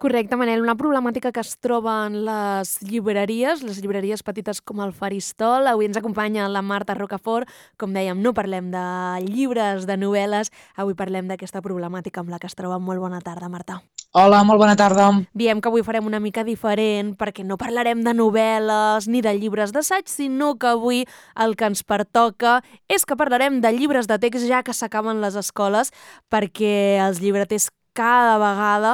Correcte, Manel. Una problemàtica que es troba en les llibreries petites com el Faristol. Avui ens acompanya la Marta Rocafort. Com dèiem, no parlem de llibres, de novel·les. Avui parlem d'aquesta problemàtica amb la que es troba. Molt bona tarda, Marta. Hola, molt bona tarda. Diem que avui farem una mica diferent perquè no parlarem de novel·les ni de llibres d'assaig, sinó que avui el que ens pertoca és que parlarem de llibres de text ja que s'acaben les escoles, perquè els llibreters cada vegada,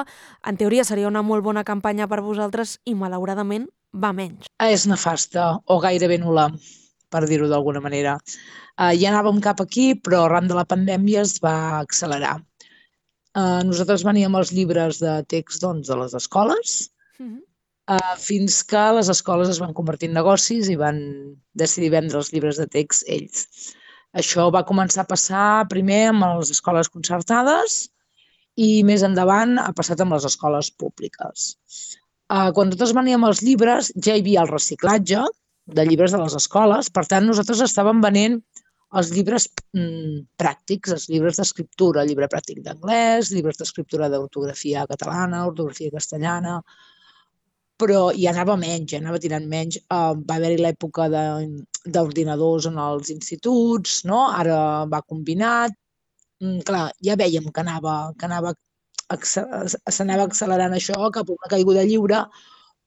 en teoria seria una molt bona campanya per vosaltres i malauradament va menys. És nefasta o gairebé nul·la, per dir-ho d'alguna manera. Ja anàvem cap aquí, però arran de la pandèmia es va accelerar. Nosaltres veníem els llibres de text de les escoles, fins que les escoles es van convertir en negocis i van decidir vendre els llibres de text ells. Això va començar a passar primer amb les escoles concertades i més endavant ha passat amb les escoles públiques. Quan nosaltres veníem els llibres ja hi havia el reciclatge de llibres de les escoles, per tant nosaltres estàvem venent els llibres pràctics, els llibres d'escriptura, llibre pràctic d'anglès, llibres d'escriptura d'ortografia catalana, ortografia castellana, però ja anava menys, ja anava tirant menys. Va haver-hi l'època d'ordinadors en els instituts, no? Ara va combinat. Clar, ja vèiem que s'anava accelerant això cap a una caiguda lliure,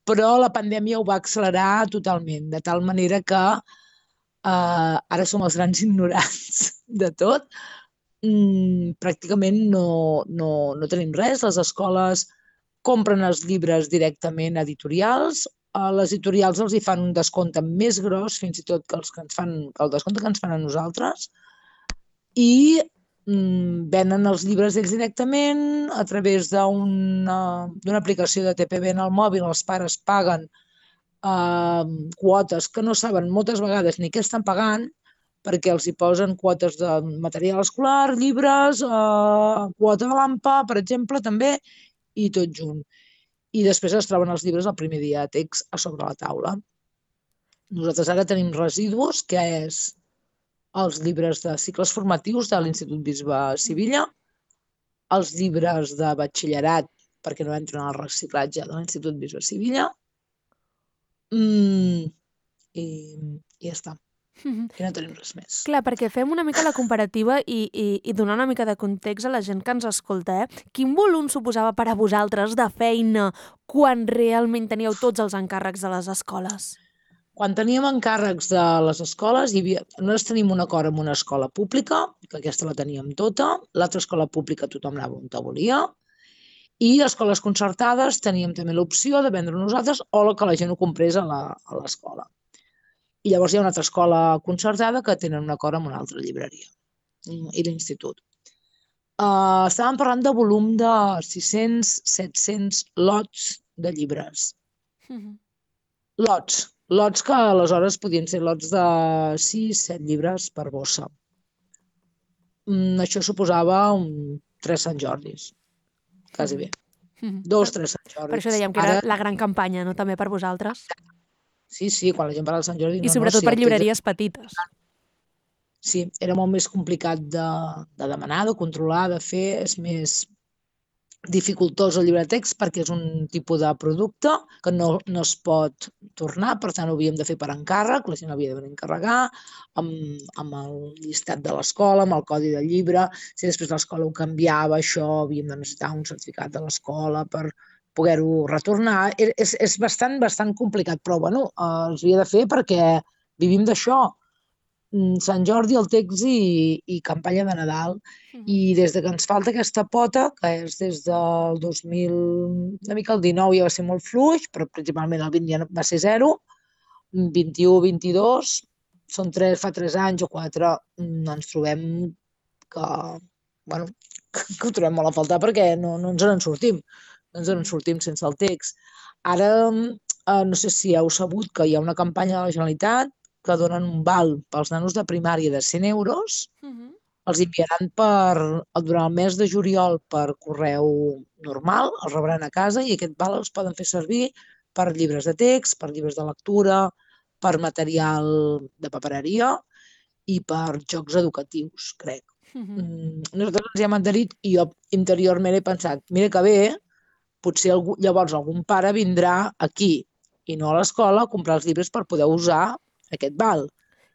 però la pandèmia ho va accelerar totalment, de tal manera que ara som els grans ignorants de tot. Pràcticament no tenim res. Les escoles compren els llibres directament a editorials. Les editorials els hi fan un descompte més gros, fins i tot que el descompte que ens fan a nosaltres, i venen els llibres ells directament a través d'una aplicació de TPB en el mòbil. Els pares paguen quotes que no saben moltes vegades ni què estan pagant, perquè els hi posen quotes de material escolar, llibres, quota de l'AMPA, per exemple, també, i tot junt. I després es troben els llibres el primer dia de text a sobre la taula. Nosaltres ara tenim residus, que és els llibres de cicles formatius de l'Institut Bisbe Sivilla, els llibres de batxillerat, perquè no entren al reciclatge de l'Institut Bisbe Sivilla, i ja està. I no tenim res més. Clar, perquè fem una mica la comparativa i donar una mica de context a la gent que ens escolta. Quin volum suposava per a vosaltres de feina quan realment teníeu tots els encàrrecs de les escoles? Quan teníem encàrrecs de les escoles, nosaltres tenim un acord amb una escola pública, que aquesta la teníem tota, l'altra escola pública tothom anava on volia, i escoles concertades teníem també l'opció de vendre nosaltres o que la gent ho comprés a l'escola. I llavors hi ha una altra escola concertada que tenen un acord amb una altra llibreria i l'institut. Estàvem parlant de volum de 600-700 lots de llibres. Lots que aleshores podien ser lots de 6-7 llibres per bossa. Això suposava 3 Sant Jordis, quasi bé. 2-3 Sant Jordis. Per això dèiem que era la gran campanya, no? També per vosaltres. Sí, quan la gent parla de Sant Jordi... I sobretot per llibreries petites. Sí, era molt més complicat de demanar, de controlar, de fer. És més dificultós el llibre de text perquè és un tipus de producte que no es pot tornar, per tant ho havíem de fer per encàrrec, la gent havia de venir a encarregar, amb el llistat de l'escola, amb el codi del llibre. Si després l'escola ho canviava, això havíem de necessitar un certificat de l'escola per poder-ho retornar. És bastant complicat, però bueno, es havia de fer perquè vivim d'això. Sant Jordi, el text i campanya de Nadal. I des que ens falta aquesta pota, que és des del 2000, una mica el 19 ja va ser molt fluix, però principalment el 20 ja va ser 0, 21-22, fa 3 anys o 4, ens trobem que ho trobem molt a faltar perquè no ens en sortim. No ens en sortim sense el text. Ara, no sé si heu sabut que hi ha una campanya de la Generalitat que donen un val pels nanos de primària de 100 euros, els enviaran durant el mes de juliol per correu normal, els rebran a casa i aquest val els poden fer servir per llibres de text, per llibres de lectura, per material de papereria i per jocs educatius, crec. Nosaltres ens hi hem adherit i jo interiorment he pensat, mira que bé, potser llavors algun pare vindrà aquí i no a l'escola a comprar els llibres per poder usar aquest val.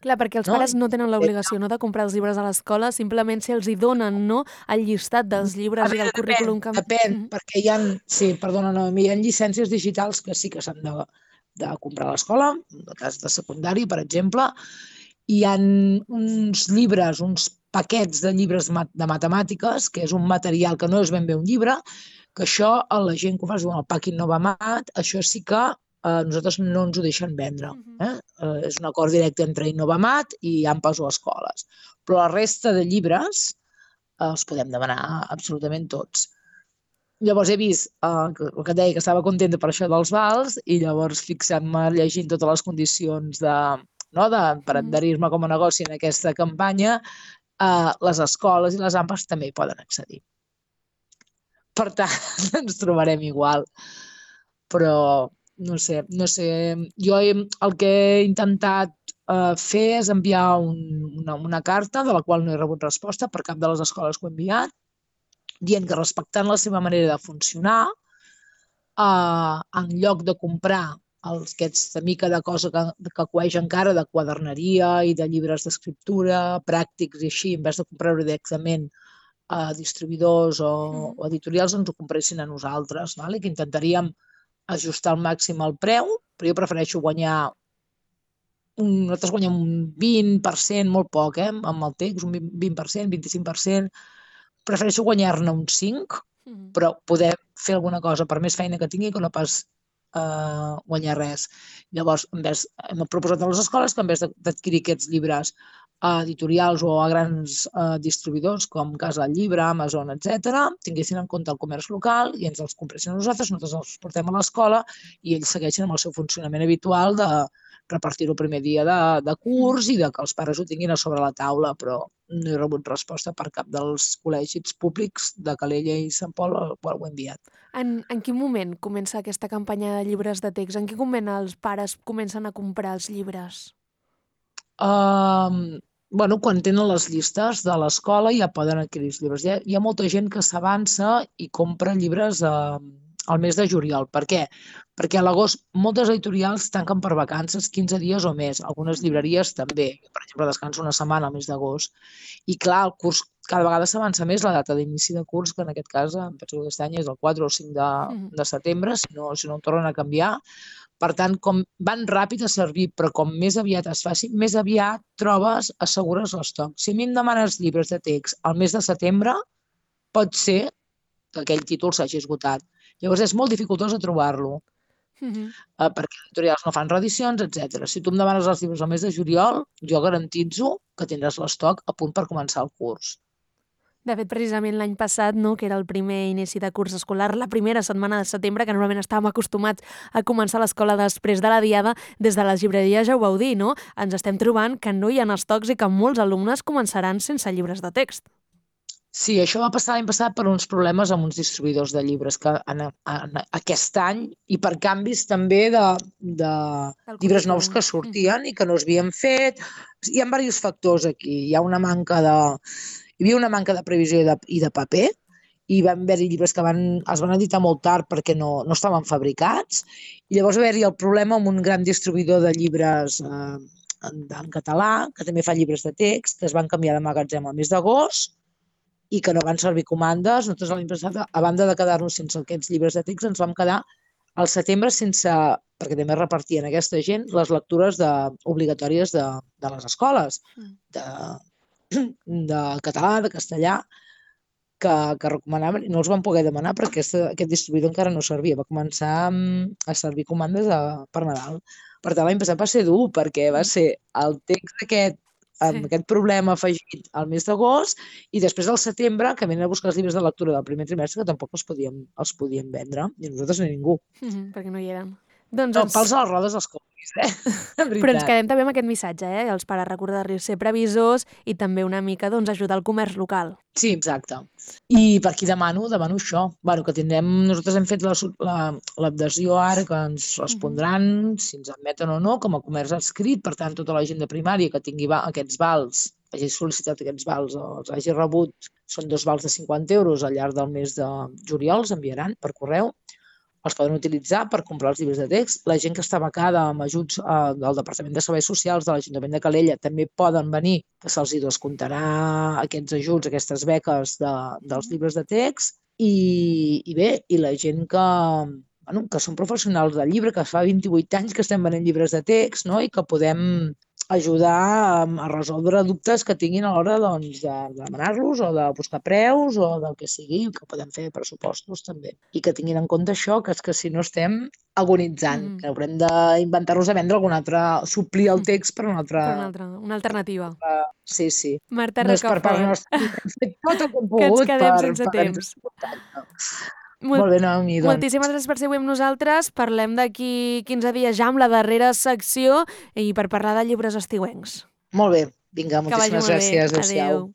Clar, perquè els pares no tenen l'obligació de comprar els llibres a l'escola, simplement si els hi donen el llistat dels llibres i del currículum que... Depèn, perquè sí, perdona, hi ha llicències digitals que sí que s'han de comprar a l'escola, en el cas de secundari, per exemple. Hi ha uns llibres, uns paquets de llibres de matemàtiques, que és un material que no és ben bé un llibre, que això, a la gent que ho fa, es diu el Packing Novamat, això sí que nosaltres no ens ho deixen vendre. És un acord directe entre Innovamat i AMPAs o escoles. Però la resta de llibres els podem demanar absolutament tots. Llavors he vist el que et deia, que estava contenta per això dels vals, i llavors fixant-me llegint totes les condicions per adherir-me com a negoci en aquesta campanya, les escoles i les AMPAs també hi poden accedir. Per tant, ens trobarem igual. Però no sé, jo el que he intentat fer és enviar una carta de la qual no he rebut resposta per cap de les escoles que ho he enviat, dient que respectant la seva manera de funcionar, en lloc de comprar aquesta mica de cosa que coeix encara de quaderneria i de llibres d'escriptura, pràctics i així, en vez de comprar-ho directament a distribuïdors o editorials, ens ho compressin a nosaltres, i que intentaríem ajustar al màxim el preu, però jo prefereixo guanyar nosaltres guanyem un 20%, molt poc, amb el text, un 20%, 25%, prefereixo guanyar-ne un 5%, però poder fer alguna cosa per més feina que tingui que no pas guanyar res. Llavors, hem proposat a les escoles que en vez d'adquirir aquests llibres a editorials o a grans distribuïdors com Casa del Llibre, Amazon, etc., tinguessin en compte el comerç local i ens els compressin a nosaltres els portem a l'escola i ells segueixen amb el seu funcionament habitual de repartir-ho el primer dia de curs i de que els pares ho tinguin a sobre la taula, però no he rebut resposta per cap dels col·legis públics de Calella i Sant Pol al qual ho he enviat. En quin moment comença aquesta campanya de llibres de text? En quin moment els pares comencen a comprar els llibres? Quan tenen les llistes de l'escola ja poden adquirir els llibres. Hi ha molta gent que s'avança i compra llibres al mes de juliol. Per què? Perquè a l'agost moltes editorials tanquen per vacances 15 dies o més. Algunes llibreries també. Per exemple, descansa una setmana al mes d'agost. I clar, el curs cada vegada s'avança més la data d'inici de curs, que en aquest cas, em penso que aquest any és el 4 o 5 de setembre, si no ho tornen a canviar. Per tant, com van ràpid a servir, però com més aviat es faci, més aviat assegures l'estoc. Si a mi em demanes llibres de text al mes de setembre, pot ser que aquell títol s'hagi esgotat. Llavors és molt dificultós de trobar-lo, perquè els editorials no fan reedicions, etc. Si tu em demanes els llibres al mes de juliol, jo garantitzo que tindràs l'estoc a punt per començar el curs. De fet, precisament l'any passat, que era el primer inici de curs escolar, la primera setmana de setembre, que normalment estàvem acostumats a començar l'escola després de la diada, des de les llibreries ja ho vau dir, no? Ens estem trobant que no hi ha estocs i que molts alumnes començaran sense llibres de text. Sí, això va passar l'any passat per uns problemes amb uns distribuïdors de llibres que aquest any, i per canvis també de llibres nous que sortien i que no s'havien fet. Hi ha diversos factors aquí. Hi havia una manca de previsió i de paper, i van haver-hi llibres que es van editar molt tard perquè no estaven fabricats, i llavors va haver-hi el problema amb un gran distribuïdor de llibres en català, que també fa llibres de text, que es van canviar de magatzem al mes d'agost i que no van servir comandes. Nosaltres l'any passat, a banda de quedar-nos sense aquests llibres de text, ens vam quedar al setembre sense, perquè també repartien aquesta gent, les lectures obligatòries de les escoles, de català, de castellà, que recomanaven, i no els van poder demanar perquè aquest distribuïdor encara no servia. Va començar a servir comandes per Nadal. Per tant, l'any passat va ser dur, perquè va ser el text aquest amb aquest problema afegit al mes d'agost, i després del setembre, que venen a buscar els llibres de lectura del primer trimestre, que tampoc els podien vendre, i nosaltres ni ningú. Perquè no hi eren. Pals a les rodes els compris, Però ens quedem també amb aquest missatge, els pares recordar-los ser previsors i també una mica ajudar el comerç local. Sí, exacte. I per qui demano això. Que tindrem, nosaltres hem fet l'adhesió ara, que ens respondran si ens admeten o no com a comerç adscrit. Per tant, tota la gent de primària que tingui aquests vals, hagi sol·licitat aquests vals o els hagi rebut, són 2 vals de 50 € al llarg del mes de juliol, els enviaran per correu. els poden utilitzar per comprar els llibres de text. La gent que està becada amb ajuts del Departament de Serveis Socials de l'Ajuntament de Calella també poden venir, que se'ls hi descomptarà aquests ajuts, aquestes beques dels llibres de text. I bé, i la gent que són professionals del llibre, que fa 28 anys que estem venent llibres de text, no? I que podem ajudar a resoldre dubtes que tinguin a l'hora doncs, de demanar-los o de buscar preus o del que sigui, que podem fer pressupostos també. I que tinguin en compte això, que és que si no estem agonitzant, que haurem d'inventar-nos a vendre algun altre, suplir el text per una alternativa. Sí, sí. Marta no és per part nostra, hem fet tot el que hem pogut que ens quedem sense temps. Molt bé, Naomi, doncs. Moltíssimes gràcies per ser avui amb nosaltres. Parlem d'aquí 15 dies ja amb la darrera secció i per parlar de llibres estiuencs. Molt bé. Vinga, moltíssimes gràcies. Adéu.